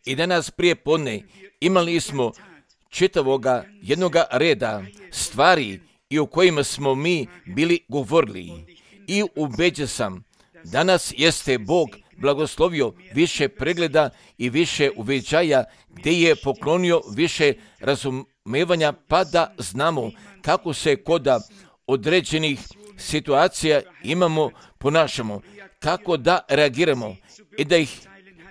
I danas prije podne imali smo čitavoga jednoga reda stvari i o kojima smo mi bili govorili. I ubeđen sam, danas jeste Bog blagoslovio više pregleda i više uveđaja, gdje je poklonio više razumevanja, pa da znamo kako se kod određenih situacija ponašamo, kako da reagiramo i da ih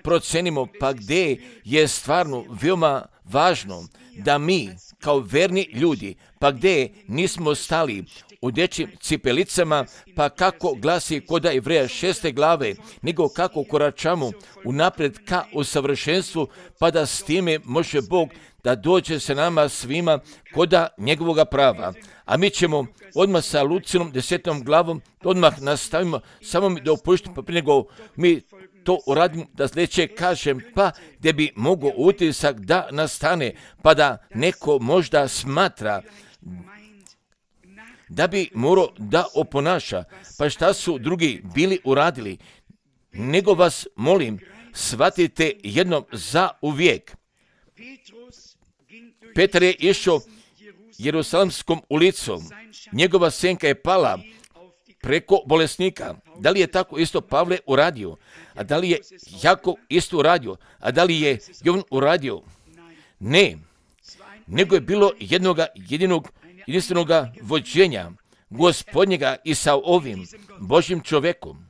procenimo, pa gdje je stvarno veoma važno da mi kao verni ljudi, pa gdje nismo stali u dječjim cipelicama, pa kako glasi kod Jevreja 6. glave, nego kako koračamo unaprijed ka usavršenstvu, pa da s time može Bog da dođe sa nama svima koda njegovoga prava. A mi ćemo odmah sa Lucinom 10. glavom, odmah nastavimo, samo mi dopuštim, pa prije nego mi to uradimo, da sljedeće kažem, pa gdje bi mogao utisak da nastane, pa da neko možda smatra da bi morao da oponaša, pa šta su drugi bili uradili, nego vas molim, shvatite jednom za uvijek. Petar je išao Jerusalemskom ulicom, njegova senka je pala preko bolesnika. Da li je tako isto Pavle uradio? A da li je Jakov isto uradio? A da li je Jovan uradio? Ne, nego je bilo jedinstvenog vođenja Gospodnjega i sa ovim Božjim čovjekom.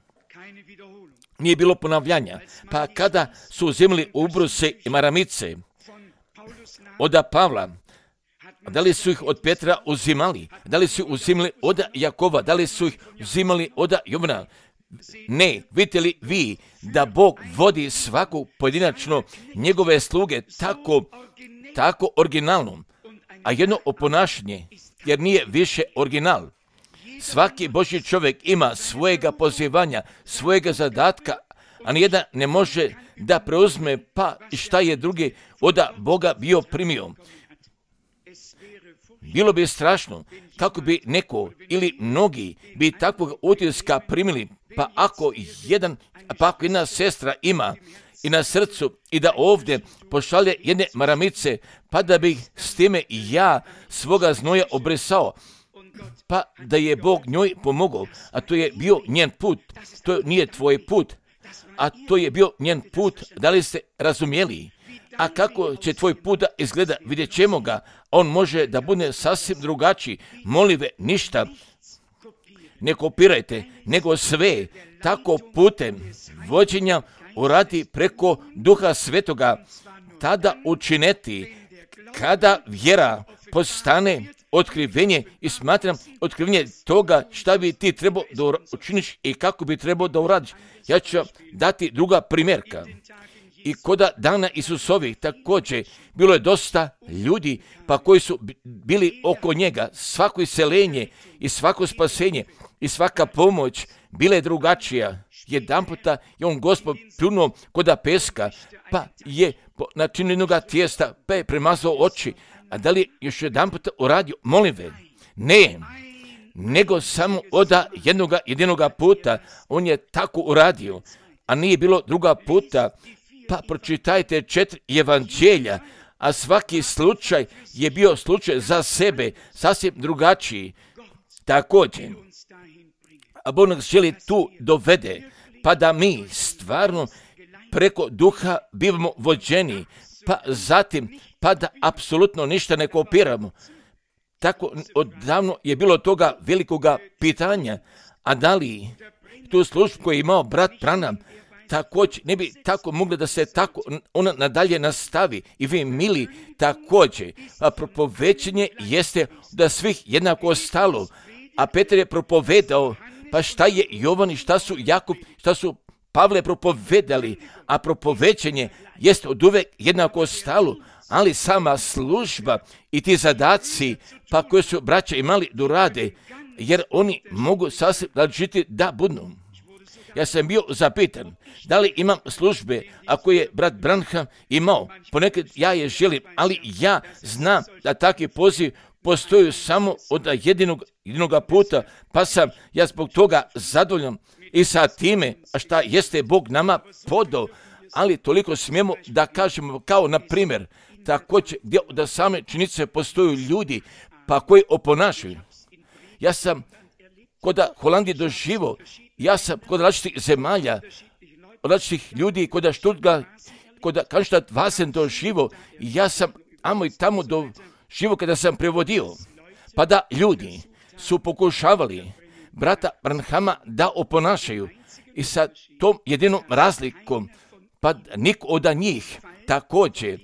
Nije bilo ponavljanja. Pa kada su uzimali ubruse i maramice od Pavla, da li su ih od Petra uzimali? Da li su ih uzimali od Jakova? Da li su ih uzimali od Jovana? Ne, vidite li vi da Bog vodi svaku pojedinačno njegove sluge tako originalno, a jedno oponašanje, jer nije više original. Svaki Božji čovjek ima svojega pozivanja, svojega zadatka, a nijedan ne može da preuzme pa šta je drugi od Boga bio primio. Bilo bi strašno kako bi neko ili mnogi bi takvog utiska primili, pa ako jedna sestra ima i na srcu i da ovdje pošalje jedne maramice, pa da bih s time ja svoga znoja obrisao, pa da je Bog njoj pomogao, a to je bio njen put, to nije tvoj put, a to je bio njen put, da li ste razumjeli? A kako će tvoj put da izgleda, vidjet ćemo ga, on može da bude sasvim drugačiji. Molive, ništa ne kopirajte, nego sve tako putem vođenja uradi preko Duha Svetoga, tada učineti, kada vjera postane otkrivenje i smatram otkrivenje toga šta bi ti trebao da učiniš i kako bi trebao da uradiš. Ja ću dati druga primjerka. I koda dana Isusovih također bilo je dosta ljudi pa koji su bili oko njega. Svako iseljenje i svako spasenje i svaka pomoć bila je drugačija. Jedanputa je on Gospod pljunuo koda peska, pa je načinio jednoga tijesta, pa je premazao oči. A da li je još jedanputa uradio? Molim ve, ne, nego samo od jedinoga puta on je tako uradio, a nije bilo druga puta. Pa pročitajte 4 evanđelja, a svaki slučaj je bio slučaj za sebe, sasvim drugačiji. Također, a Bog nas želi tu dovede, pa da mi stvarno preko duha bivamo vođeni, pa zatim, pa da apsolutno ništa ne kopiramo. Tako odavno je bilo toga velikoga pitanja, a da li tu službu koju je imao brat Branham, također ne bi tako mogli da se tako ona nadalje nastavi i vi mili također. A propovećenje jeste da svih jednako stalo, a Petar je propovedao, pa šta je Jovan i šta su Jakub, šta su Pavle propovedali, a propovećenje jeste od uvek jednako stalo, ali sama služba i ti zadaci pa koje su braća imali da rade, jer oni mogu sasvim različiti da budu. Ja sam bio zapitan, da li imam službe, ako je brat Branham imao, ponekad ja je želim, ali ja znam da takvi poziv postoji samo od jedinoga puta, pa sam ja zbog toga zadovoljan i sa time, a šta jeste Bog nama podao, ali toliko smijemo da kažemo kao na primjer, također gdje da same činjenice postoju ljudi pa koji oponašaju. Ja sam kod Holandije doživo, ja sam kod različitih zemalja, različitih ljudi, kod Stuttgart, kod Cannstatt Wasen doživo, ja sam amo i tamo doživo kada sam prevodio, pa da ljudi su pokušavali brata Branhama da oponašaju i sa tom jedinom razlikom, pa niko od njih također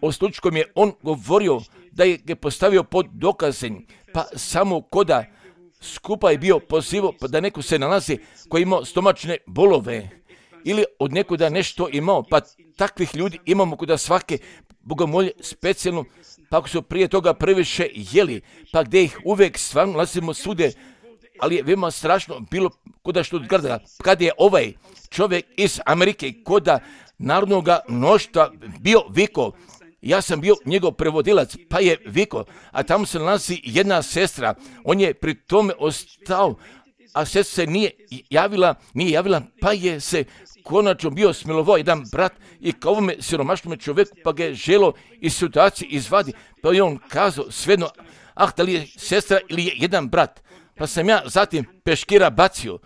o slučkom je on govorio da je ga postavio pod dokazem, pa samo koda skupa je bio pozivo pa da neko se nalazi koji imao stomačne bolove ili od nekoga nešto imao, pa takvih ljudi imamo kod svake bogomolje specijalno, pa ako su prije toga previše jeli, pa gdje ih uvijek stvarno nalazimo svude, ali je veoma strašno bilo kod Stuttgarta, kad je ovaj čovjek iz Amerike kod narodnog mnoštva bio viko, ja sam bio njegov prevodilac, pa je viko, a tamo se nalazi jedna sestra, on je pri tome ostao, a sestra se nije javila, pa je se konačno bio smilovao jedan brat i kao ovome siromašnome čovjeku, pa ga je želo iz situacije izvadi, pa je on kazao svejedno, da li je sestra ili je jedan brat, pa sam ja zatim peškira bacio,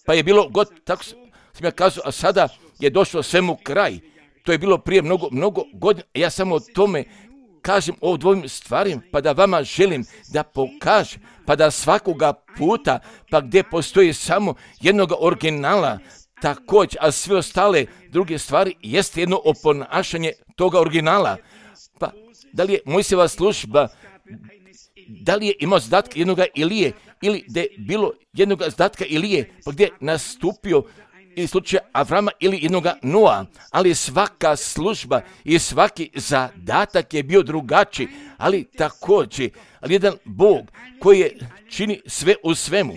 pa je bilo tako sam ja kazao, a sada je došlo svemu kraj. To je bilo prije mnogo godina. Ja samo o tome kažem o dvojim stvarima, pa da vama želim da pokažem, pa da svakoga puta, pa gdje postoji samo jednog originala, također, a sve ostale druge stvari jeste jedno oponašanje toga originala. Pa da li je Mojsijeva služba, da li je imao zadatka jednoga Ilije, ili da je bilo jednog zadatka Ilije, pa gdje je nastupio ili slučaj Avrama ili jednoga Noa, ali svaka služba i svaki zadatak je bio drugačiji, ali također, ali jedan Bog koji je čini sve u svemu.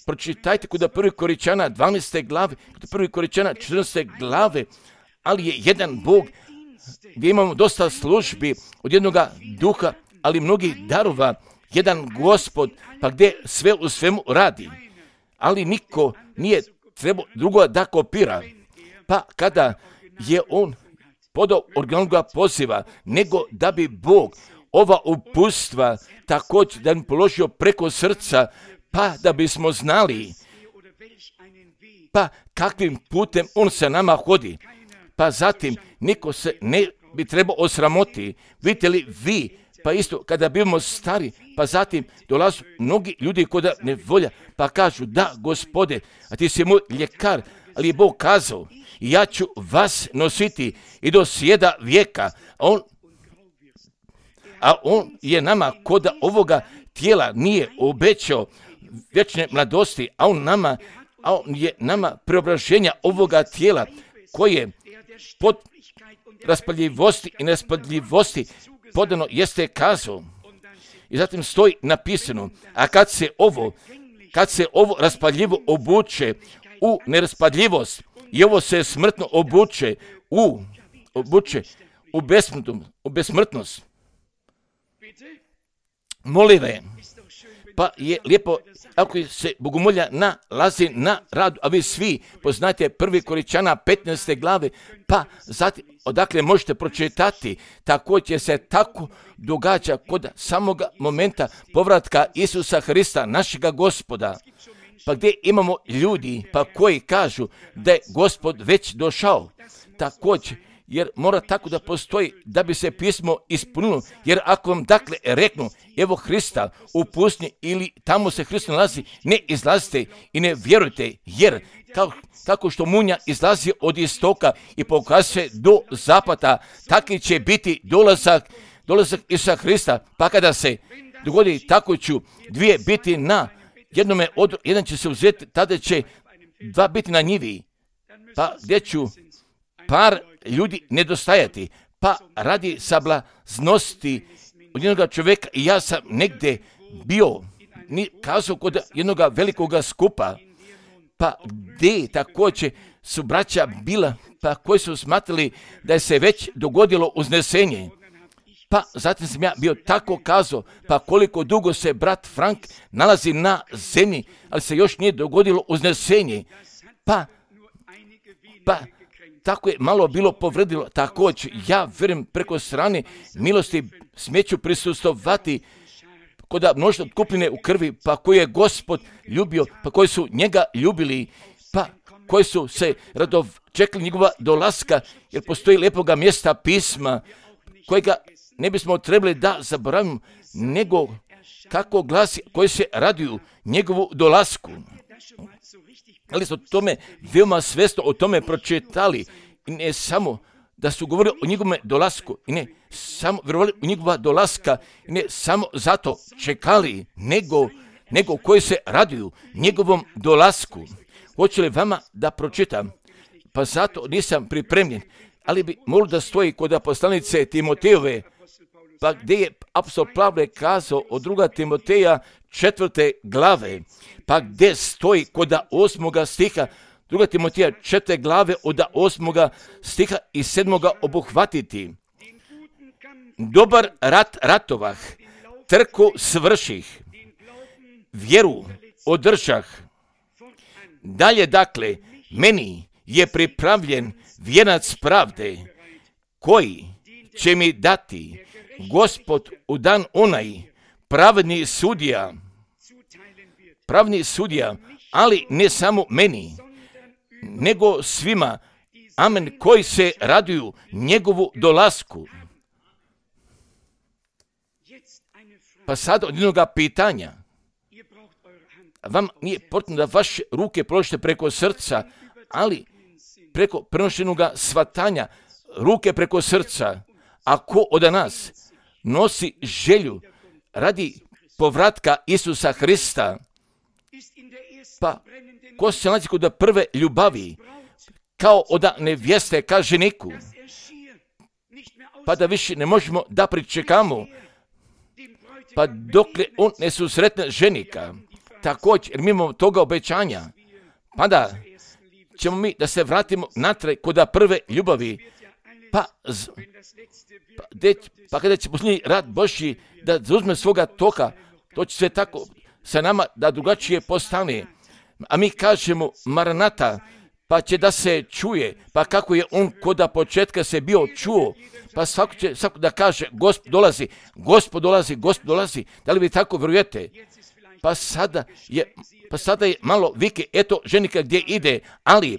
Pročitajte kod 1. Korinćana 12. glave, kod 1. Korinćana 14. glave, ali je jedan Bog gdje imamo dosta službi od jednoga duha, ali mnogih darova, jedan Gospod, pa gdje sve u svemu radi, ali niko nije treba drugo da kopira. Pa kada je on podao originalnog poziva, nego da bi Bog ova upustva također da bi položio preko srca, pa da bismo znali pa kakvim putem on se nama hodi. Pa zatim niko se ne bi trebao osramoti. Vidite li vi, pa isto kada bivamo stari, pa zatim dolazu mnogi ljudi koda ne volja, pa kažu da Gospode, a ti si moj ljekar, ali je Bog kazao, ja ću vas nositi i do sjeda vijeka, a on je nama koda ovoga tijela nije obećao vječne mladosti, a on je nama preobraženja ovoga tijela koje pod raspaljivosti i nespaljivosti podano jeste kazao. I zatim stoji napisano, a kad se ovo raspaljivo obuče u neraspadljivost i ovo se smrtno obuče u besmrtnost. Molive, pa je lijepo ako se bogomolja nalazi na radu, a vi svi poznate 1. Korinćana 15. glave, pa zatim odakle možete pročitati, također se tako događa kod samoga momenta povratka Isusa Hrista, našega Gospoda, pa gdje imamo ljudi pa koji kažu da je Gospod već došao, također, jer mora tako da postoji da bi se pismo ispunilo, jer ako vam dakle reknu, evo Hrista u pustinji ili tamo se Hrist nalazi, ne izlazite i ne vjerujte, jer kako što munja izlazi od istoka i pokazuje do zapada, taki će biti dolazak Isusa Hrista, pa kada se dogodi tako ću dvije biti na jednome odru, jedan će se uzeti, tada će dva biti na njivi, pa gdje ću par ljudi nedostajati, pa radi sablaznosti od jednog čovjeka i ja sam negdje bio, kazao kod jednog velikoga skupa, pa gdje također su braća bila, pa koji su smatrali da je se već dogodilo uznesenje. Pa zatim sam ja bio tako kazao, pa koliko dugo se brat Frank nalazi na zemlji, ali se još nije dogodilo uznesenje. Pa pa tako je malo bilo povredilo. Također, ja vjerujem preko strane milosti smeću prisustovati kod mnoštva kupljene u krvi, pa koji je Gospod ljubio, pa koji su njega ljubili, pa koji su se čekali njegova dolaska, jer postoji lijepoga mjesta pisma, kojega ne bismo trebali da zaboravimo, nego kako glasi, koji se raduju njegovu dolasku. Ali su o tome veoma svjesno o tome pročitali, i ne samo da su govorili o njegovom dolasku, i ne samo vjerovali u njegova dolaska, i ne samo zato čekali, nego koji se raduju njegovom dolasku. Hoće li vama da pročitam? Pa zato nisam pripremljen, ali bi molio da stoji kod poslanice Timotejove, pa gdje je apostol Pavle kazao od 2. Timoteja 4. glave, pa gdje stoji kod 8. stiha, 2. Timoteja 4. glave od 8. stiha i 7. obuhvatiti. Dobar rat ratovah, trku svrših, vjeru održah. Dalje dakle, meni je pripravljen vijenac pravde, koji će mi dati Gospod u dan onaj, pravedni sudija, ali ne samo meni, nego svima, amen, koji se raduju njegovu dolasku. Pa sad od jednoga pitanja. Vam nije potrebno da vaše ruke položite preko srca, ali preko prenošenoga svatanja, ruke preko srca. A ko od nas nosi želju radi povratka Isusa Hrista, pa ko se nalazi kod prve ljubavi, kao od nevjeste ka ženiku, pa da više ne možemo da pričekamo, pa dokle on ne susretne ženika. Također, jer mi imamo toga obećanja, pa da ćemo mi da se vratimo natrag kod prve ljubavi, pa kada će posljednji rad Božji da zauzme svoga toka, to će sve tako sa nama da drugačije postane. A mi kažemo Maranata, pa će da se čuje, pa kako je on kod početka se bio čuo, pa svako će da kaže Gospod dolazi, Gospod dolazi, Gospod dolazi. Da li vi tako vjerujete? Pa sada je malo vike, eto ženika gdje ide, ali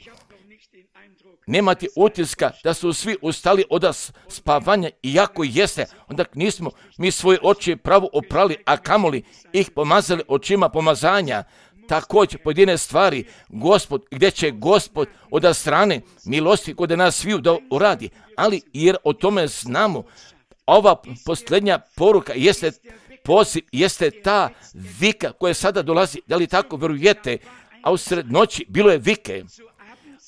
nemate utiska da su svi ustali od spavanja, iako jeste, onda nismo mi svoje oči pravo oprali, a kamoli ih pomazali očima pomazanja. Također pojedine stvari, Gospod, gdje će Gospod od strane milosti kod nas sviju da uradi, ali jer o tome znamo, ova posljednja poruka jeste poziv, jeste ta vika koja sada dolazi, da li tako vjerujete, a u sred noći bilo je vike,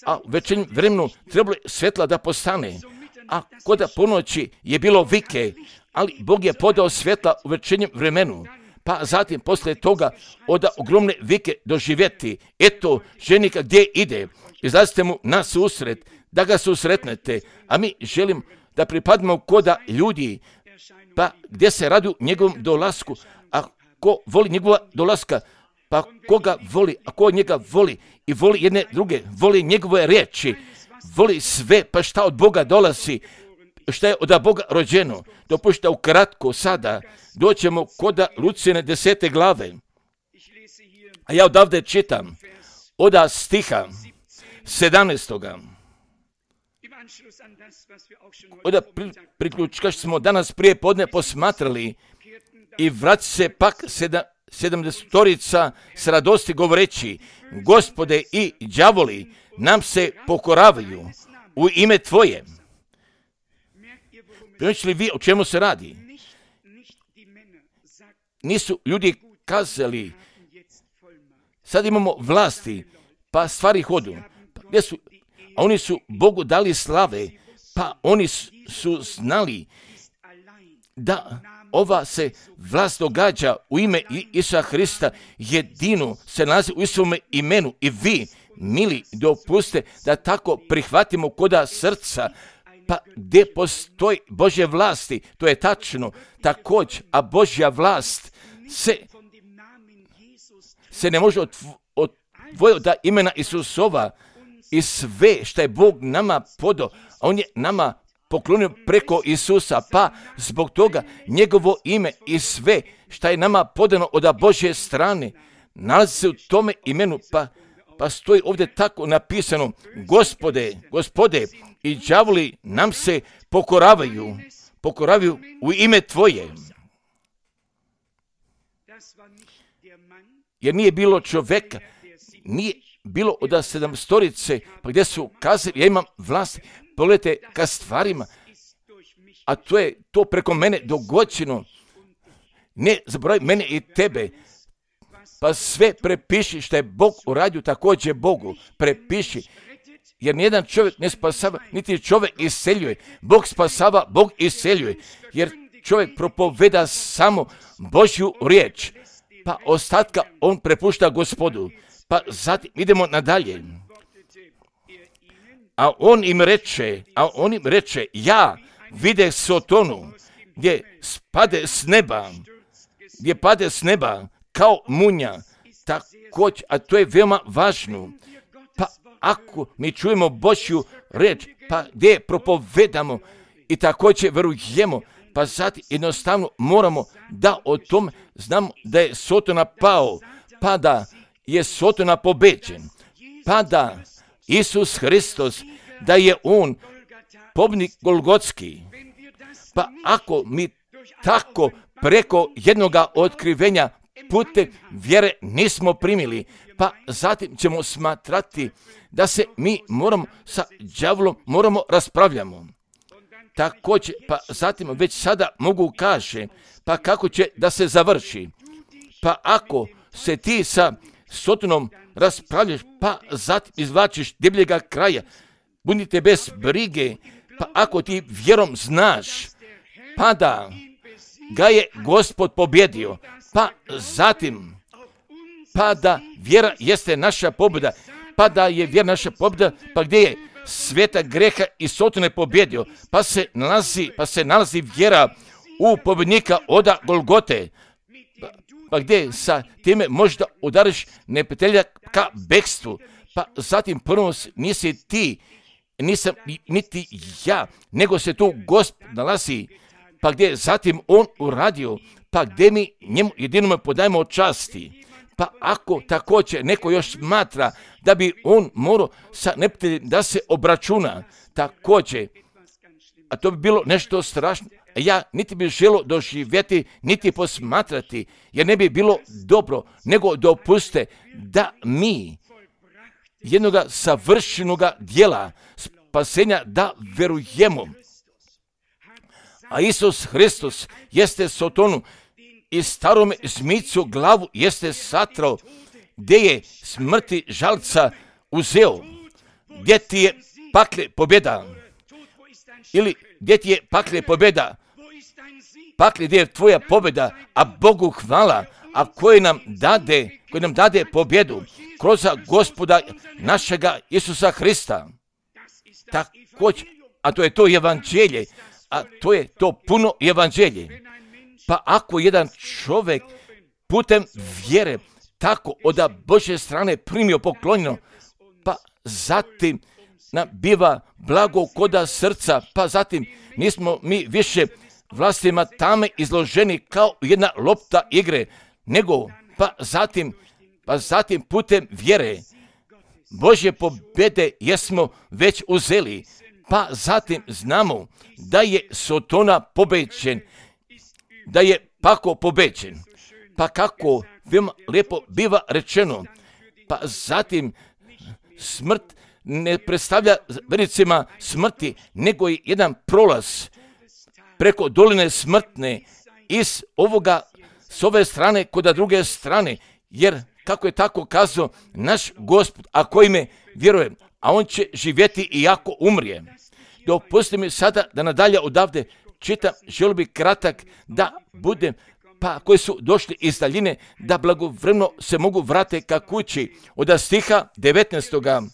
a u večernjem vremenu trebalo je svjetla da postane, a kod ponoći je bilo vike, ali Bog je podao svjetla u večernjem vremenu, pa zatim poslije toga od ogromne vike doživjeti, eto ženika gdje ide, izlazite mu na susret, da ga susretnete, a mi želim da pripadimo koda ljudi, pa gdje se radi njegovom dolasku, a ko voli njegova dolaska, pa koga voli, a ko njega voli i voli jedne druge, voli njegove riječi, voli sve, pa šta od Boga dolazi, šta je od Boga rođeno. Dopušta ukratko sada, doćemo kod Lucijine 10. glave, a ja odavde čitam, od stiha 17. Od priključka što smo danas prije podne posmatrali i vrati se pak 70 s radosti govoreći, Gospode i đavoli nam se pokoravaju u ime Tvoje. Primijećili li vi o čemu se radi? Nisu ljudi kazali, sad imamo vlasti, pa stvari hodu. Gdje su? A oni su Bogu dali slave, pa oni su znali da ova se vlast događa u ime Isusa Hrista, jedino se nalazi u Isusovom imenu i vi, mili, dopuste da tako prihvatimo koda srca, pa gdje postoji Božje vlasti, to je tačno, također, a Božja vlast se ne može odvojiti od imena Isusova i sve što je Bog nama podao, on je nama poklonio preko Isusa, pa zbog toga njegovo ime i sve što je nama podano od Božje strane nalazi se u tome imenu, pa stoji ovdje tako napisano: Gospode, i đavoli nam se pokoravaju u ime Tvoje. Jer nije bilo čovjeka, nije bilo od 7 pa gdje su kazali: ja imam vlast, pogledajte ka stvarima, a to je to preko mene dogođeno. Ne zaboravi mene i tebe, pa sve prepiši što je Bog uradio, također Bogu prepiši. Jer nijedan čovjek ne spasava, niti čovjek iseljuje. Bog spasava, Bog iseljuje. Jer čovjek propoveda samo Božju riječ, pa ostatka on prepušta Gospodu. Pa zatim idemo nadalje. A on im reče: ja vide Sotonu, gdje pade s neba kao munja. Također, a to je veoma važno. Pa ako mi čujemo Božju riječ, pa gdje propovedamo i također verujemo, pa zatim jednostavno moramo da o tom znamo da je Sotona pao, pa da je Sotona pobeđen, pa da Isus Hristos, da je on pobjednik Golgotski. Pa ako mi tako preko jednoga otkrivenja putem vjere nismo primili, pa zatim ćemo smatrati da se mi moramo sa đavolom raspravljamo. Također, pa zatim već sada mogu kaže, pa kako će da se završi. Pa ako se ti sa Sotonom raspravljaš, pa zatim izvlačiš debljega kraja, budite bez brige, pa ako ti vjerom znaš, pa da ga je Gospod pobjedio, pa zatim, pa da vjera jeste naša pobjeda, pa da je vjera naša pobjeda, pa gdje je sveta greha i Sotone pobjedio, pa se nalazi vjera u pobjednika oda Golgote, pa gdje sa time možda udariš neprijatelja ka bekstvu, pa zatim prvo nisi ti, nisam niti ja, nego se tu Gospod nalazi, pa gdje zatim on uradio, pa gdje mi njemu jedinome podajemo časti. Pa ako također neko još smatra da bi on morao sa neprijateljem da se obračuna, također, a to bi bilo nešto strašno, ja niti bi želio doživjeti, niti posmatrati, jer ne bi bilo dobro, nego dopuste da mi jednoga savršenoga djela spasenja da verujemo. A Isus Hristos jeste Sotonu i starome zmicu glavu jeste satrao, gdje je smrti žalca uzeo. Gdje ti je pakle pobjeda? Ili gdje ti je pakle pobjeda? Pakle, gdje je tvoja pobjeda, a Bogu hvala, a koji nam dade pobjedu kroz Gospoda našega Isusa Hrista. Također, a to je to evanđelje, a to je to puno evanđelje. Pa ako jedan čovjek putem vjere tako od Božje strane primio poklonjeno, pa zatim biva blago koda srca, pa zatim nismo mi više vlastima tame izloženi kao jedna lopta igre, nego pa zatim putem vjere Božje pobjede jesmo već uzeli, pa zatim znamo da je Sotona pobeđen, da je pako pobeđen. Pa kako veoma lijepo biva rečeno, pa zatim smrt ne predstavlja vernicima smrti, nego je jedan prolaz preko doline smrtne s ove strane kod druge strane, jer kako je tako kazao naš Gospod, a kojime vjerujem, a on će živjeti i ako umrije. Dopusti mi sada da nadalje odavde čitam, želio bih kratak da budem, pa koji su došli iz daljine, da blagovremeno se mogu vratiti ka kući. Od stiha 19.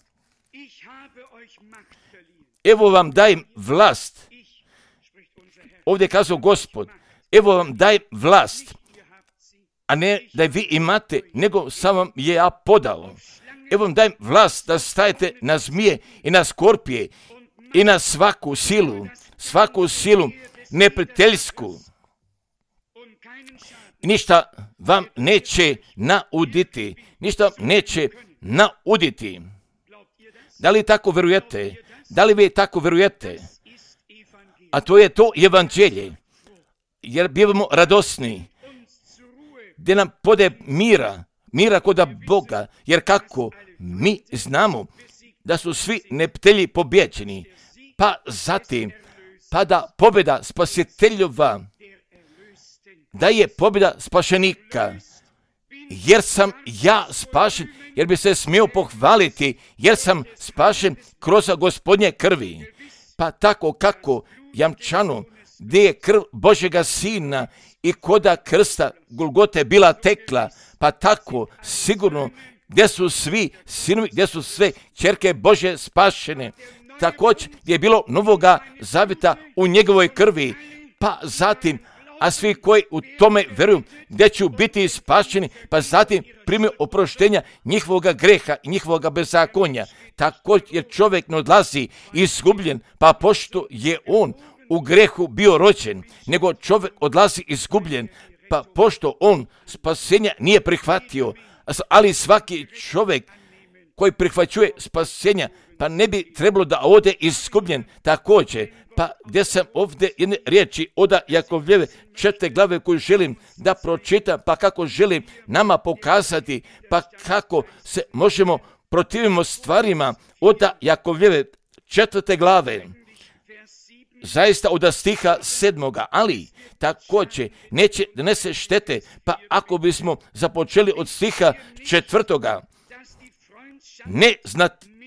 Evo vam dajem vlast. Ovdje je kazao Gospod, evo vam dajem vlast, a ne da vi imate, nego sam vam je ja podao. evo vam dajem vlast da stajete na zmije i na skorpije i na svaku silu neprijateljsku. Ništa vam neće nauditi. Da li tako verujete? Da li vi tako verujete? A to je to evanđelje. Jer bivamo radosni. Gdje nam pode mira koda Boga. Jer kako mi znamo da su svi neprijatelji pobjeđeni. Pa zatim, pa da pobjeda spasiteljova, da je pobjeda spašenika. Jer sam ja spašen, jer bi se smio pohvaliti, jer sam spašen kroz Gospodnje krvi. Pa tako kako jamčano, gdje je krv Božjega Sina i koda krsta Golgote bila tekla, pa tako sigurno gdje su svi sinovi, gdje su sve ćerke Božje spašene. Također gdje je bilo novoga zavjeta u njegovoj krvi, pa zatim, a svi koji u tome vjeruju, gdje će biti spašeni, pa zatim primio oproštenja njihovoga greha i njihovoga bezakonja. Također jer čovjek ne odlazi izgubljen, pa pošto je on u grehu bio rođen, nego čovjek odlazi izgubljen, pa pošto on spasenja nije prihvatio. Ali svaki čovjek koji prihvaćuje spasenja, pa ne bi trebalo da ode izgubljen. Također, pa gdje sam ovdje jedne riječi od Jakovljeve 4. glave koju želim da pročitam, pa kako želim nama pokazati, pa kako se možemo protivimo stvarima od Jakovljeve 4. glave. Zaista od stiha 7. ali također neće donese štete, pa ako bismo započeli od stiha 4.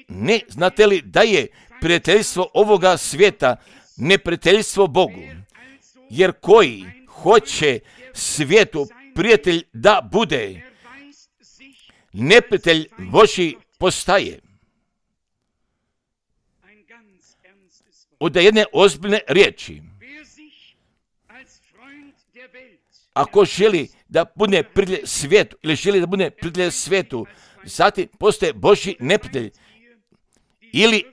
Ne znate li da je prijateljstvo ovoga svijeta neprijateljstvo Bogu? Jer koji hoće svijetu prijatelj da bude, neprijatelj Božji postaje. Od jedne ozbiljne riječi. Ako želi da bude prijatelj svijetu ili želi da bude prijatelj svijetu, zatim postaje Božji neprijatelj. Ili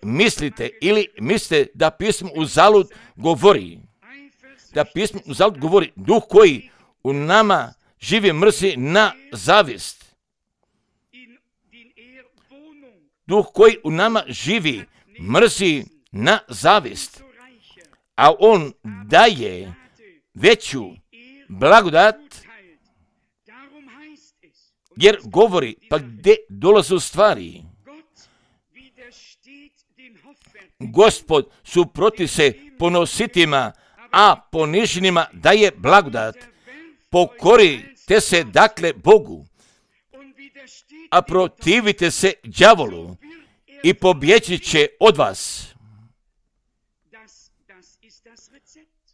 mislite da pismo uzalud govori. Da pismo uzalud govori, duh koji u nama živi mrzi na zavist. Duh koji u nama živi mrzi na zavist. A on daje veću blagodat, jer govori, pa gdje dolaze u stvari. Gospod suproti se ponositima, a poniženima daje blagodat. Pokorite se dakle Bogu, a protivite se đavolu i pobjeći će od vas.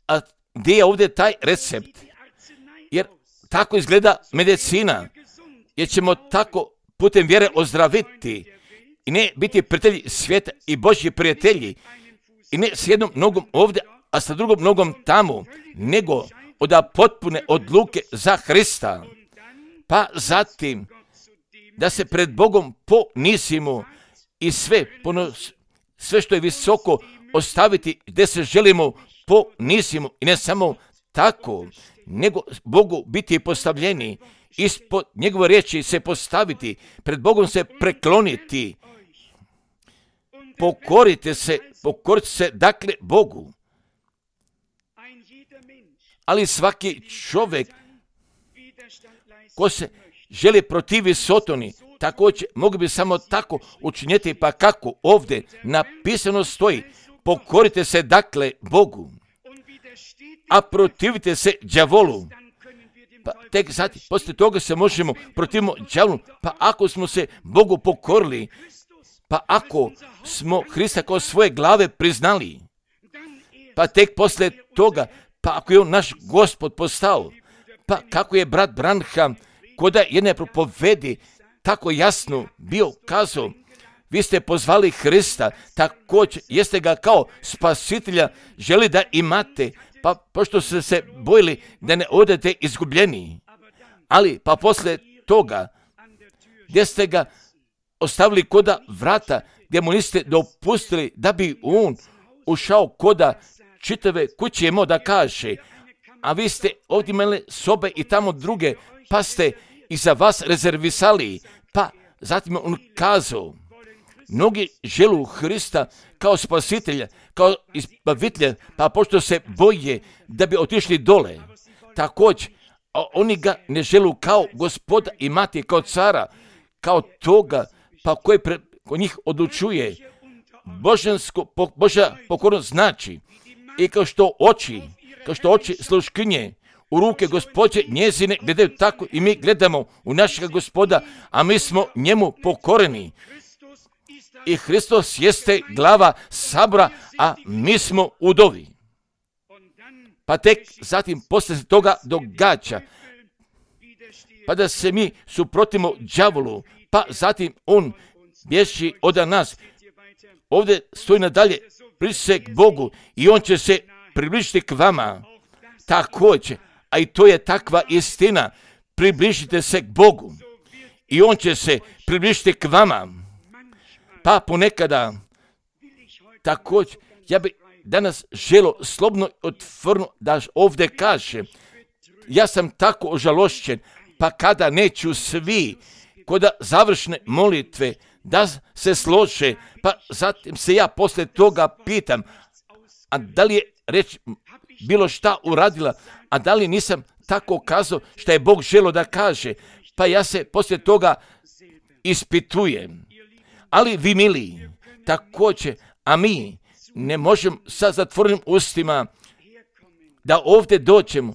A gdje je ovdje taj recept? Jer tako izgleda medicina, jer ćemo tako putem vjere ozdraviti i ne biti prijatelji svijeta i Božji prijatelji i ne s jednom nogom ovdje, a sa drugom nogom tamo, nego od potpune odluke za Hrista. Pa zatim da se pred Bogom ponizimo i sve što je visoko ostaviti gdje se želimo ponizimo i ne samo tako, nego Bogu biti postavljeni, ispod njegove riječi se postaviti, pred Bogom se prekloniti. Pokorite se dakle Bogu. Ali svaki čovjek ko se želi protivi Sotoni, također mogu bi samo tako učiniti, pa kako ovdje napisano stoji, pokorite se dakle Bogu, a protivite se đavolu. Pa tek zatim, poslije toga se možemo protivimo đavolu, pa ako smo se Bogu pokorili, pa ako smo Hrista kao svoje glave priznali, pa tek poslije toga, pa ako je on naš Gospod postao, pa kako je brat Branham kod jedne propovedi tako jasno bio kazao, vi ste pozvali Hrista, također jeste ga kao spasitelja želi da imate, pa pošto ste se bojili da ne odete izgubljeni. Ali pa poslije toga, gdje ste ga ostavili koda vrata gdje mu niste dopustili da bi on ušao koda čitave kuće imao da kaže, a vi ste ovdje imali sobe i tamo druge, pa ste i za vas rezervisali. Pa zatim je on kazao, mnogi želu Hrista kao spasitelja, kao izbavitelja, pa pošto se boje da bi otišli dole, također, a oni ga ne želu kao gospoda i mati, kao cara, kao toga, pa koji ko njih odlučuje. Božja pokornost znači, i kao što oči sluškinje u ruke Gospođe njezine gledaju, tako i mi gledamo u našega Gospoda, a mi smo njemu pokoreni. I Hristos jeste glava sabora, a mi smo udovi. Pa tek zatim poslije toga događa, pa da se mi suprotimo đavolu, pa zatim on bježi od nas. Ovdje stoji nadalje, približi se k Bogu i on će se približiti k vama. Također, a i to je takva istina, približite se k Bogu i on će se približiti k vama. Pa ponekada, također, ja bi danas želio slobodno otvorno da ovdje kaže, ja sam tako ožalošćen, pa kada neću svi koda završne molitve da se slože, pa zatim se ja poslije toga pitam, a da li je reč bilo šta uradila, a da li nisam tako kazao što je Bog želio da kaže, pa ja se poslije toga ispitujem. Ali vi mili, također, a mi ne možemo sa zatvorenim ustima da ovdje dođemo,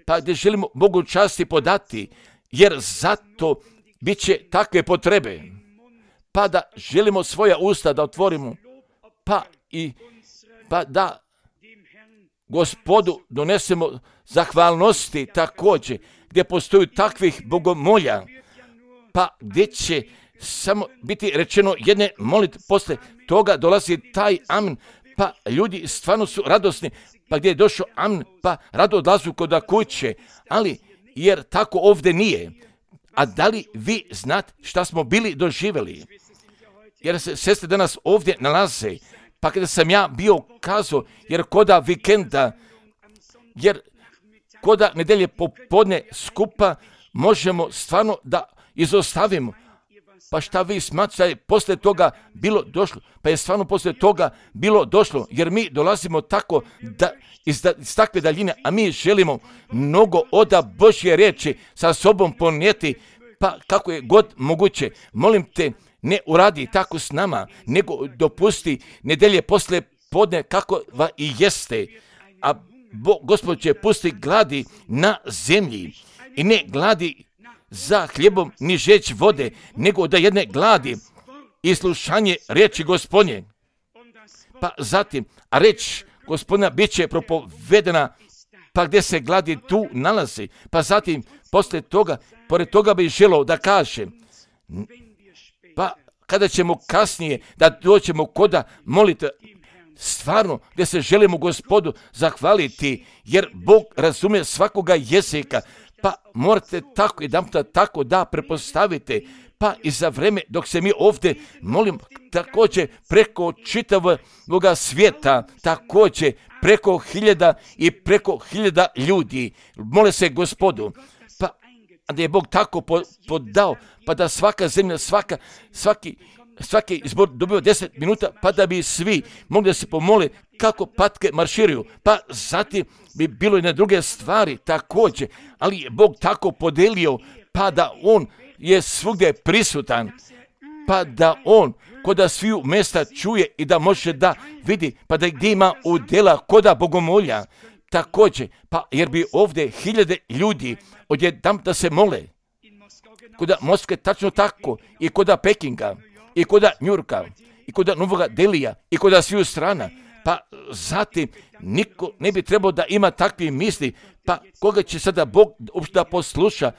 pa gdje želimo Bogu časti podati, jer zato bit će takve potrebe, pa da želimo svoja usta da otvorimo, pa da Gospodu donesemo zahvalnosti također, gdje postoju takvih bogomolja, pa gdje će samo biti rečeno jedne molitve, poslije toga dolazi taj amen, pa ljudi stvarno su radosni, pa gdje je došao amen, pa rado odlazu kod kuće, ali jer tako ovdje nije. A da li vi znate šta smo bili doživjeli? Jer se sestre danas ovdje nalaze, pa kada sam ja bio kazao, jer koda vikenda, jer koda nedelje popodne skupa možemo stvarno da izostavimo. Pa šta vi smatrate da je poslije toga bilo došlo? Pa je stvarno poslije toga bilo došlo, jer mi dolazimo tako da iz takve daljine, a mi želimo mnogo oda Božje riječi sa sobom ponijeti, pa kako je god moguće. Molim te, ne uradi tako s nama, nego dopusti nedelje poslije podne kako i jeste. A Gospod će pusti gladi na zemlji i ne gladi za hljebom ni žeć vode, nego da jedne gladi i slušanje riječi Gospodnje. Pa zatim, a reč Gospodina bit će propovedena, pa gdje se gladi tu nalazi. Pa zatim, poslije toga, pored toga bi želio da kaže, pa kada ćemo kasnije da doćemo koda molite, stvarno gdje se želimo Gospodu zahvaliti, jer Bog razumije svakoga jezika, pa morate tako i tako da prepostavite, pa i za vreme dok se mi ovdje molim također preko čitavog svijeta, također preko preko hiljada ljudi, mole se Gospodu, pa da je Bog tako podao, pa da svaka zemlja, svaki izbor dobio 10 minuta, pa da bi svi mogli da se pomole kako patke marširaju, pa zatim bi bilo i na druge stvari također, ali je Bog tako podelio, pa da on je svugdje prisutan, pa da on koda sviju mjesta čuje i da može da vidi, pa da gdje ima udjela koda bogomolja također, pa jer bi ovdje hiljade ljudi odjednom da se mole, koda Moskve tačno tako, i koda Pekinga, i koda Njurka, i koda Novoga Delija, i koda sviju strana, pa zatim niko ne bi trebao da ima takve misli, pa koga će sada Bog uopšte da posluša,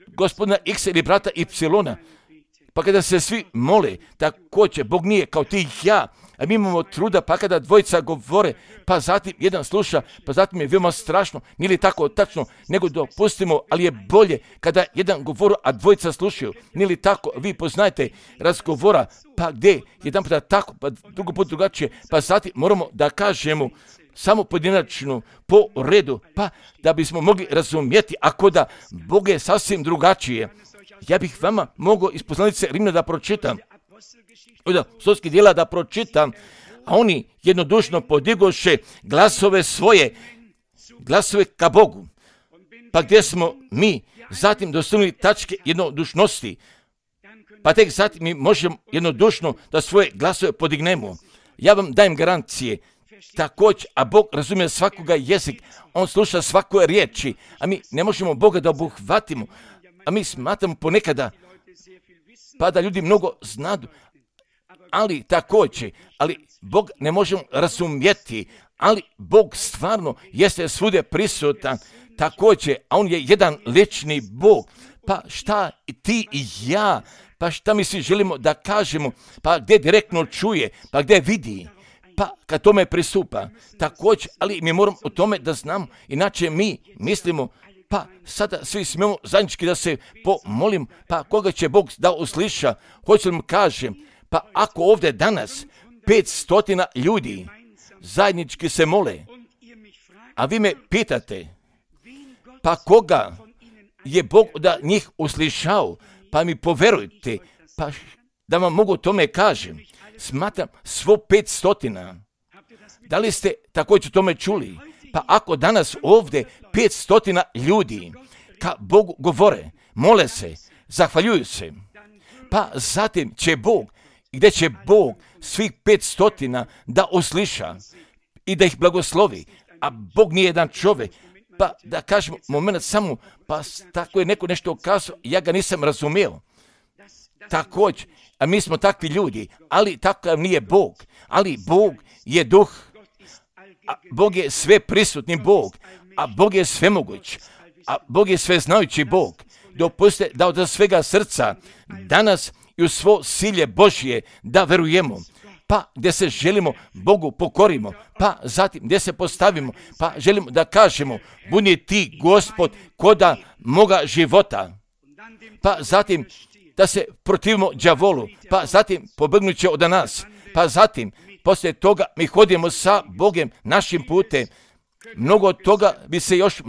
gospodina X ili brata Y, pa kada se svi mole, također Bog nije kao ti ja, A mi imamo truda, pa kada dvojica govore, pa zatim jedan sluša, pa zatim je veoma strašno, nije li tako tačno, nego dopustimo, ali je bolje kada jedan govori, a dvojica slušaju. Nije li tako, vi poznajete razgovora, pa gdje, jedan puta tako, pa drugo put drugačije, pa zatim moramo da kažemo samo pojedinačno, po redu, pa da bismo mogli razumjeti, ako da Bog je sasvim drugačije. Ja bih vama mogao iz poslanice Rimljana da pročitam, od apostolskih djela da pročitam, a oni jednodušno podigoše glasove svoje, glasove ka Bogu. Pa gdje smo mi zatim dostignuli tačke jednodušnosti, pa tek zatim mi možemo jednodušno da svoje glasove podignemo. Ja vam dajem garancije, također, a Bog razumije svakoga jezik, on sluša svakoj riječi, a mi ne možemo Boga da obuhvatimo, a mi smatramo ponekada, pa da ljudi mnogo znadu, ali također, ali Bog ne možemo razumjeti, ali Bog stvarno jeste svugdje prisutan, također, a on je jedan lični Bog. Pa šta ti i ja, pa šta mi svi želimo da kažemo, pa gdje direktno čuje, pa gdje vidi, pa kad tome pristupa, također, ali mi moramo o tome da znamo, inače mi mislimo, pa sada svi smijemo zajednički da se pomolim, pa koga će Bog da usliša, hoće li mu kažem, pa ako ovdje danas 500 ljudi zajednički se mole, a vi me pitate, pa koga je Bog da njih uslišao, pa mi poverujte, pa da vam mogu tome kažem, smatram svo 500. Da li ste također tome čuli? Pa ako danas ovdje 500 ljudi ka Bogu govore, mole se, zahvaljuju se, pa zatim će Bog, gdje će Bog svih 500 da usliša i da ih blagoslovi, a Bog nije jedan čovjek, pa da kažem moment samo, pa tako je neko nešto kazao, ja ga nisam razumio. Također, a mi smo takvi ljudi, ali takav nije Bog, ali Bog je duh, a Bog je sve prisutni Bog, a Bog je svemoguć, a Bog je sveznajući Bog. Dopustite da od svega srca danas i u svo silje Božje da verujemo, pa gdje se želimo Bogu pokorimo, pa zatim gdje se postavimo, pa želimo da kažemo, budi ti Gospod koda moga života, pa zatim da se protivimo đavolu, pa zatim pobegnuće od nas, pa zatim poslije toga mi hodimo sa Bogem našim putem. Mnogo toga bi se još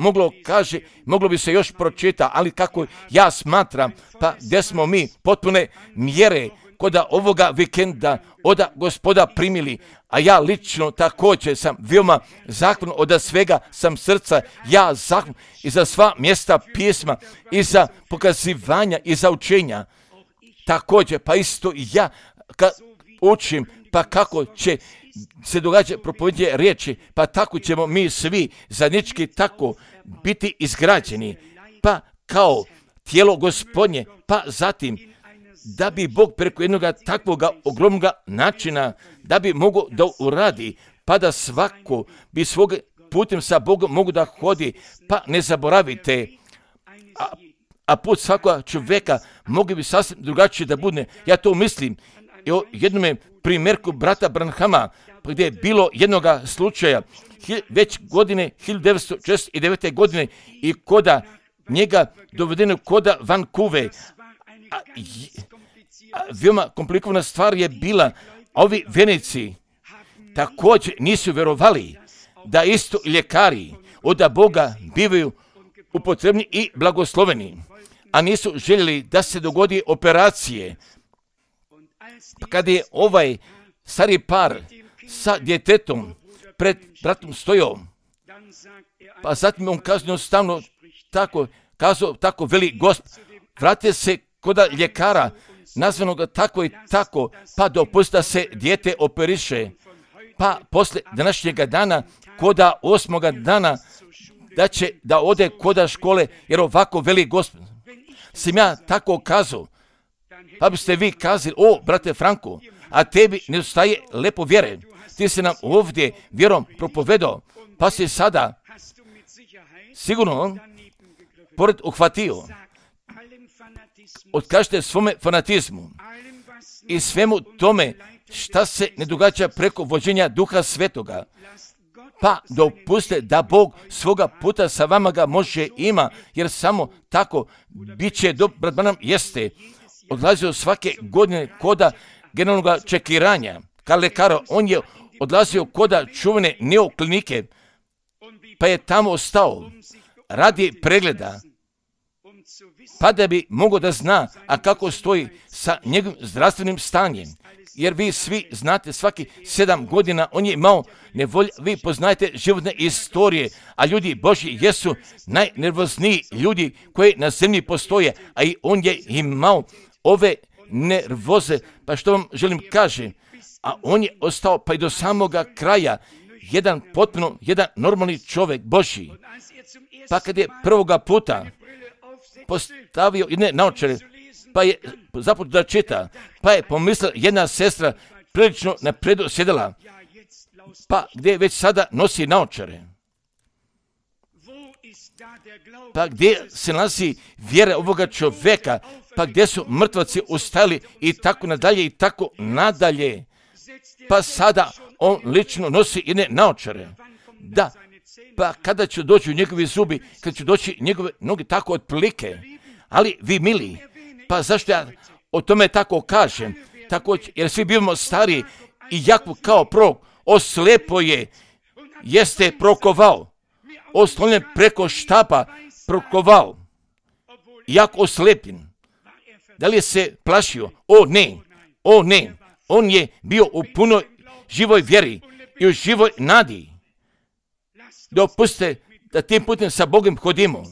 moglo bi se još pročita, ali kako ja smatram, pa gdje smo mi potpune mjere koda ovoga vikenda od Gospoda primili, a ja lično također sam veoma zahvalan od svega sam srca, ja zahvalan i za sva mjesta pisma, i za pokazivanja, i za učenja. Također, pa isto i ja kad učim, pa kako će se događa propovedanje riječi, pa tako ćemo mi svi zajednički tako biti izgrađeni, pa kao tijelo Gospodnje, pa zatim da bi Bog preko jednog takvog ogromnog načina, da bi mogao da uradi, pa da svako bi svog putem sa Bogom mogu da hodi, pa ne zaboravite, a put svakog čovjeka mogli bi sasvim drugačije da bude. Ja to mislim i o jednom primjerku brata Branhama, gdje je bilo jednog slučaja već godine 1949. godine i koda njega dovedeno koda Vancouver. Veoma komplikovana stvar je bila, a ovi vjernici također nisu vjerovali da isto ljekari od Boga bivaju upotrebni i blagosloveni, a nisu željeli da se dogodi operacije. Kada je ovaj stari par sa djetetom pred bratom stojao, pa zatim on kazao stavno tako veli Gospod, vratite se koda ljekara, nazvanog tako i tako, pa dopusti da se dijete operiše, pa poslije današnjega dana, koda 8. dana, da će da ode koda škole, jer ovako veli Gospod. Sam ja tako kazao, pa biste vi kazali, o, brate Franko, a tebi ne ostaje lepo vjere. Ti si nam ovdje vjerom propovedao, pa si sada sigurno pored uhvatio. Otkažite svome fanatizmu i svemu tome šta se ne događa preko vođenja Duha Svetoga. Pa dopuste da Bog svoga puta sa vama ga može ima, jer samo tako bit će brat Branham jeste odlazio svake godine koda generalnog čekiranja, kao lekara. On je odlazio koda čuvene neoklinike, pa je tamo ostao radi pregleda, pa da bi mogao da zna, a kako stoji sa njegovim zdravstvenim stanjem. Jer vi svi znate, svaki 7 godina on je imao nevolje, vi poznajete životne istorije, a ljudi Božji jesu najnervozniji ljudi koji na zemlji postoje, a i on je imao ove nervoze. Pa što vam želim kažem, a on je ostao pa i do samoga kraja jedan normalni čovjek Božji. Pa kad je prvoga puta postavio jedne naočare, pa je započeo da čita, pa je pomislila jedna sestra prilično napredu sjedala, pa gdje već sada nosi naočare. Pa gdje se nalazi vjera ovoga čovjeka, pa gdje su mrtvaci ustali i tako nadalje i tako nadalje. Pa sada on lično nosi jedne naočare. Da, pa kada će doći njegovi zubi, kada će doći njegove noge, tako otprilike. Ali vi mili, pa zašto ja o tome tako kažem? Tako, jer svi bivamo stari i Jakub kao prorok oslepo jeste prokovao. Oslonjen preko štapa prokovao. Jak oslepljen. Da li je se plašio? O ne. On je bio u punoj živoj vjeri i u živoj nadi. Dopustite da tim putem sa Bogom hodimo.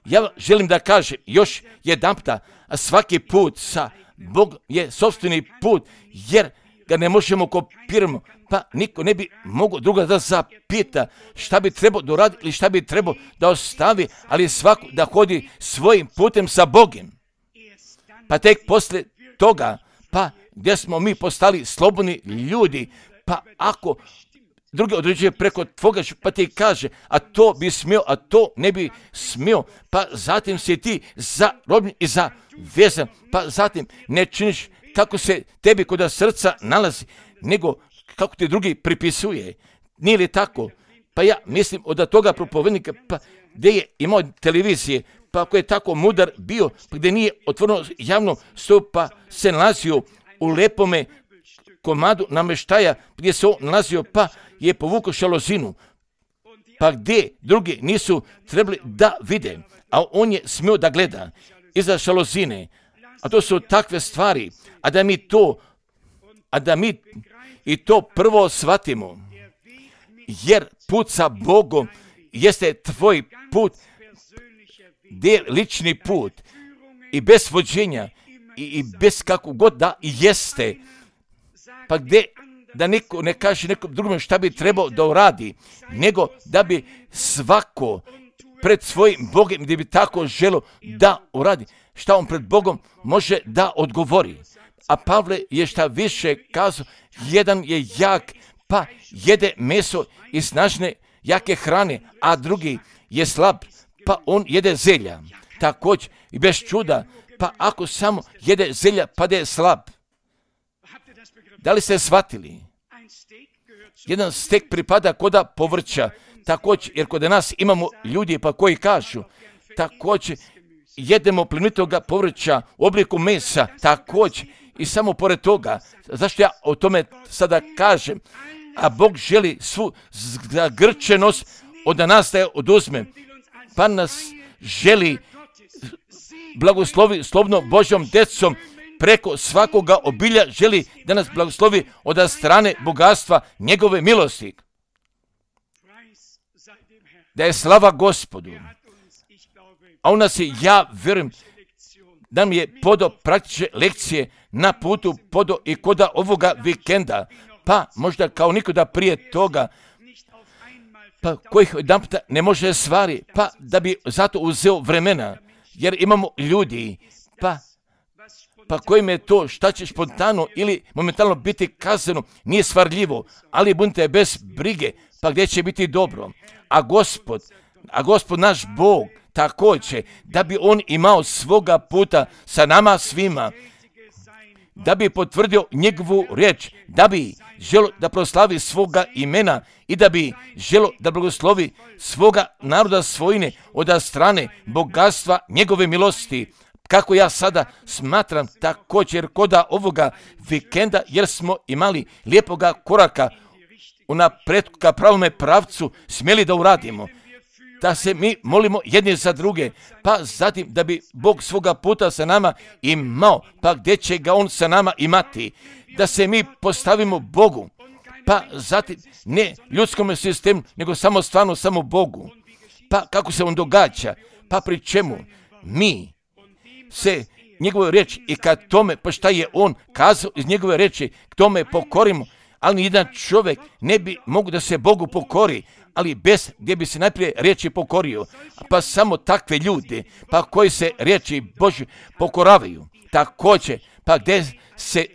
Ja želim da kažem još jedanputa, a svaki put sa Bogom je sopstveni put, jer ga ne možemo kopirati, pa niko ne bi mogao druga da zapita šta bi trebao da uradi ili šta bi trebao da ostavi, ali svako da hodi svojim putem sa Bogom. Pa tek poslije toga, pa gdje smo mi postali slobodni ljudi, pa ako drugi određuje preko tvoga, pa ti kaže, a to bi smio, a to ne bi smio, pa zatim si ti zarobljen i zavezan, pa zatim ne činiš kako se tebi kod srca nalazi, nego kako ti drugi pripisuje. Nije li tako? Pa ja mislim od toga propovednika, pa gdje je imao televizije, pa ako je tako mudar bio, pa gdje nije otvoreno javno stup, pa se nalazio u lepome komadu namještaja, gdje se on nalazio, pa je povukao šalozinu, pa gdje drugi nisu trebali da vide, a on je smio da gleda iza šalozine, a to su takve stvari, a da mi i to prvo shvatimo, jer put sa Bogom jeste tvoj put, gdje lični put i bez vođenja i bez kako god da jeste, pa gdje da niko ne kaže nekom drugom šta bi trebao da uradi, nego da bi svako pred svojim Bogom, gdje bi tako želo da uradi, šta on pred Bogom može da odgovori. A Pavle je šta više kazao, jedan je jak, pa jede meso i snažne jake hrane, a drugi je slab, pa on jede zelja. Također i bez čuda, pa ako samo jede zelja, pa da je slab. Da li ste shvatili? Jedan stek pripada koda povrća, također, jer kod nas imamo ljudi pa koji kažu, također jedemo plenitoga povrća u obliku mesa, također i samo pored toga, zašto ja o tome sada kažem, a Bog želi svu zagrčenost od nas da je oduzme, pa nas želi blagoslovi slobodno Božjom decom, preko svakoga obilja želi da nas blagoslovi od strane bogatstva njegove milosti. Da je slava Gospodu. A on nas je, ja vjerujem, da mi je podao praktične lekcije na putu, podao i koda ovoga vikenda, pa možda kao nikoda prije toga, pa kojih jedan puta ne može stvari, pa da bi zato uzeo vremena, jer imamo ljudi, pa kojim je to šta će spontano ili momentalno biti kazano, nije stvarljivo, ali budite bez brige, pa gdje će biti dobro. A Gospod naš Bog također, da bi on imao svoga puta sa nama svima, da bi potvrdio njegovu riječ, da bi želo da proslavi svoga imena i da bi želo da blagoslovi svoga naroda svojine od strane bogatstva njegove milosti. Kako ja sada smatram također koda ovoga vikenda, jer smo imali lijepoga koraka unaprijed ka pravome pravcu smjeli da uradimo, da se mi molimo jedni za druge, pa zatim da bi Bog svoga puta sa nama imao, pa gdje će ga On sa nama imati, da se mi postavimo Bogu, pa zatim ne ljudskom sistemu, nego samo Bogu. Pa kako se On događa, pa pri čemu mi se njegove riječi i kad tome, pa šta je On kazao iz njegove riječi, k tome pokorimo, ali jedan čovjek ne bi mogu da se Bogu pokori, ali bez gdje bi se najprije riječi pokorio, pa samo takve ljude, pa koji se riječi Božje pokoravaju, također, pa gdje se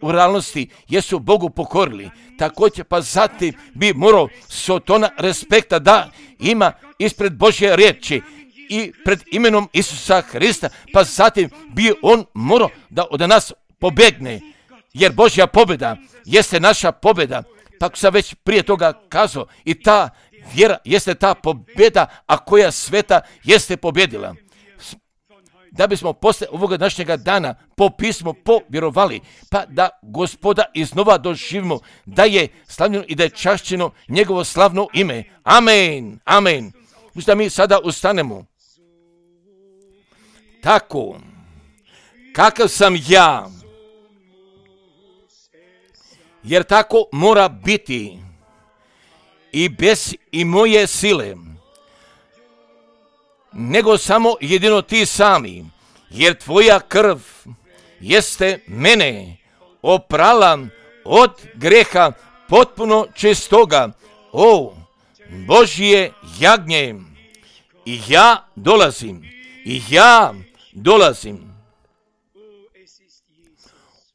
u realnosti jesu Bogu pokorili, također, pa zatim bi morao sotona respekta da ima ispred Božje riječi i pred imenom Isusa Hrista, pa zatim bi on morao da od nas pobegne, jer Božja pobjeda jeste naša pobjeda. Pa sam već prije toga kazao, i ta vjera jeste ta pobjeda, a koja sveta jeste pobjedila. Da bismo posle ovoga današnjega dana po pismu povjerovali, pa da Gospoda iznova doživimo, da je slavljeno i da je čašćeno njegovo slavno ime. Amen, amen. Da mi sada ustanemo. Tako, kakav sam ja, jer tako mora biti i bez i moje sile, nego samo jedino ti sami, jer tvoja krv jeste mene oprala od greha potpuno čistoga, o Božje jagnje, i ja dolazim.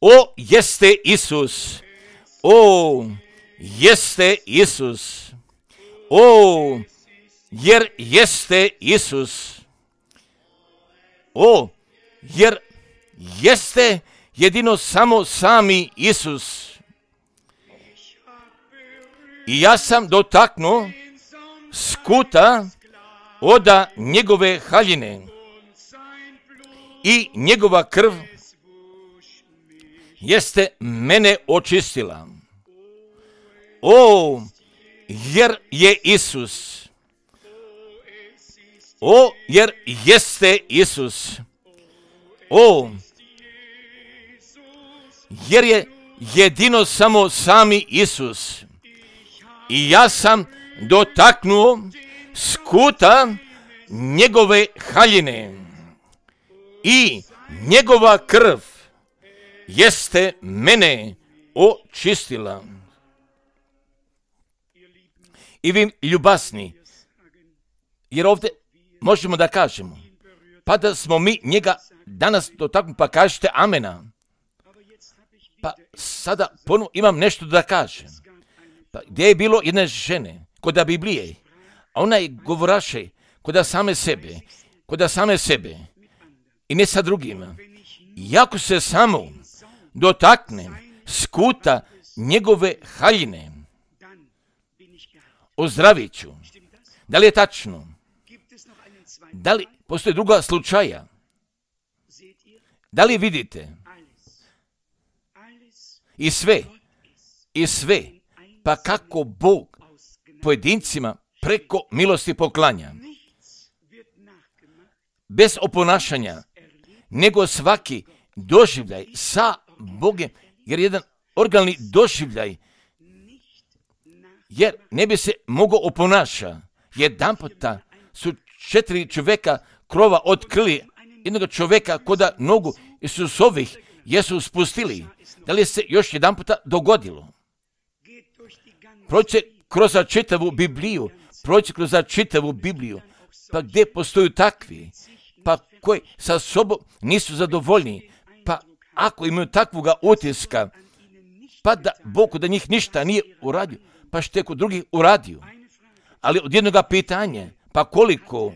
O, jeste Isus. O, jeste Isus. O, jer jeste Isus. O, jer jeste jedino samo sami Isus. I ja sam dotaknuo skuta oda njegove haljine i njegova krv jeste mene očistila. O, jer je Isus. O, jer jeste Isus. O, jer je jedino samo sami Isus. I ja sam dotaknuo skuta njegove haljine i njegova krv jeste mene očistila. I vi ljubasni, jer ovdje možemo da kažemo, pa da smo mi njega danas dotaknuli, pa kažete amena. Pa sada ponovno imam nešto da kažem. Pa gdje je bilo jedne žene, kod Biblije, a ona je govoraše kod same sebe i ne sa drugima. Iako se samo dotaknem skuta njegove haljine, ozdravit ću. Da li je tačno? Da li postoje druga slučaja? Da li vidite? I sve, pa kako Bog pojedincima preko milosti poklanja. Bez oponašanja, nego svaki doživljaj sa Bogem, jer jedan originalni doživljaj, jer ne bi se mogao oponaša. Jedanputa su 4 čovjeka krova otkrili jednog čovjeka koda nogu Isusovih jesu spustili. Da li se još jedanputa dogodilo? Prođe kroz čitavu Bibliju, pa gdje postoju takvi, pa koji sa sobom nisu zadovoljni, pa ako imaju takvoga utiska, pa da Bog da njih ništa nije uradio, pa što je kod drugih uradio. Ali od jednoga pitanja, pa koliko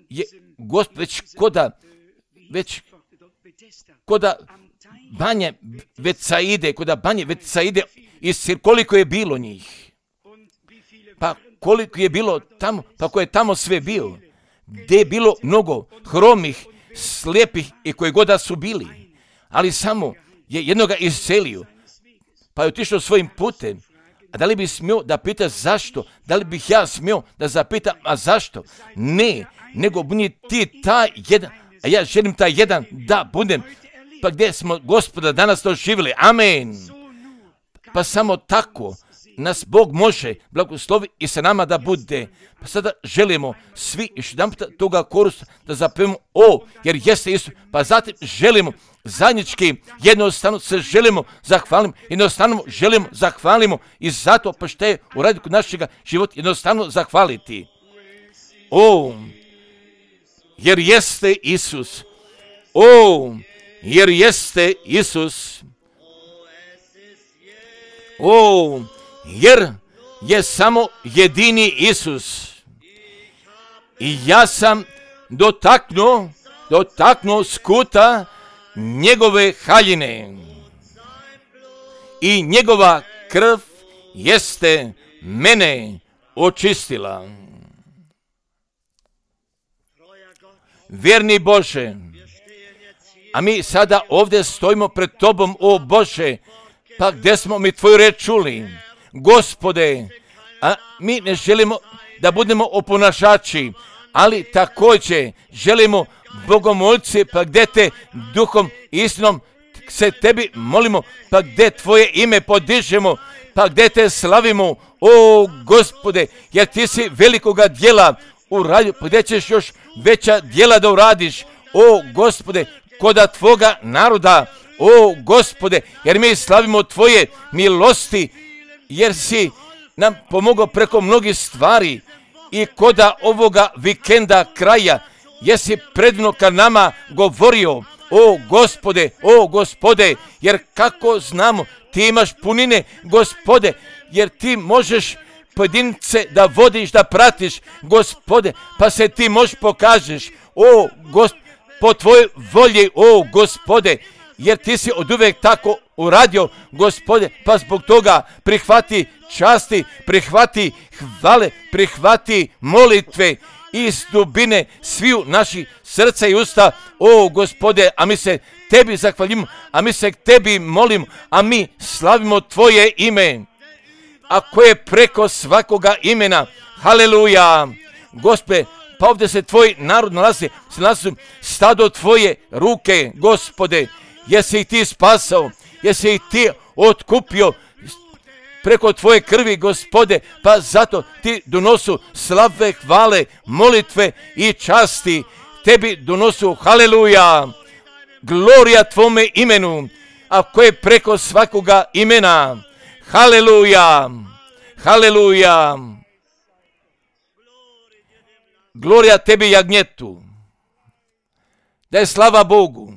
je Gospod već koda banje Vetsaide, koliko je bilo njih. Pa koliko je bilo tamo, pa ko je tamo sve bio. Gdje je bilo mnogo hromih, slijepih i koji god da su bili. Ali samo je jednoga iscelio, pa je otišao svojim putem. A da li bi smio da pita zašto? Da li bih ja smio da zapitam, a zašto? Ne, nego budi ti taj jedan, a ja želim taj jedan da budem. Pa gdje smo Gospoda danas doživjeli? Amen. Pa samo tako nas Bog može blagoslovi i sa nama da bude. Pa sada želimo svi još jedan toga korusa da zapevamo jer jeste Isus. Pa zatim želimo zajednički, jednostavno se želimo zahvalimo i zato pa što je uradio kod našega života jednostavno zahvaliti. Jer jeste Isus. Jer jeste Isus. Jer je samo jedini Isus. I ja sam dotaknuo skuta njegove haljine. I njegova krv jeste mene očistila. Vjerni Bože, a mi sada ovdje stojimo pred Tobom, o Bože, pa gdje smo mi Tvoju reč čuli? Gospode, a mi ne želimo da budemo oponašači, ali također želimo bogomolci, pa gdje te duhom i istinom se Tebi molimo, pa gdje Tvoje ime podižemo, pa gdje Te slavimo, o Gospode, jer Ti si velikoga djela uradio, pa gdje ćeš još veća djela da uradiš, o Gospode, koda Tvoga naroda, o Gospode, jer mi slavimo Tvoje milosti, jer si nam pomogao preko mnogih stvari i koda ovoga vikenda kraja, jesi predivno ka nama govorio, o Gospode, jer kako znamo, Ti imaš punine, Gospode, jer Ti možeš pojedince da vodiš, da pratiš, Gospode, pa se Ti možeš pokažeš, o Gospode, po Tvojoj volji, o Gospode, jer Ti si oduvijek tako uradio, Gospode, pa zbog toga prihvati časti, prihvati hvale, prihvati molitve iz dubine sviju naših srca i usta, o Gospode, a mi se Tebi zahvaljimo, a mi se Tebi molimo, a mi slavimo Tvoje ime, a koje je preko svakoga imena, haleluja, Gospode, pa ovdje se Tvoj narod nalazi stado Tvoje ruke, Gospode, jesi ih Ti spasao, jesi ih Ti otkupio preko Tvoje krvi, Gospode, pa zato Ti donosu slave, hvale, molitve i časti, Tebi donosu, haleluja, glorija Tvome imenu, a koje preko svakoga imena, haleluja, haleluja, glorija Tebi jagnjetu, da je slava Bogu.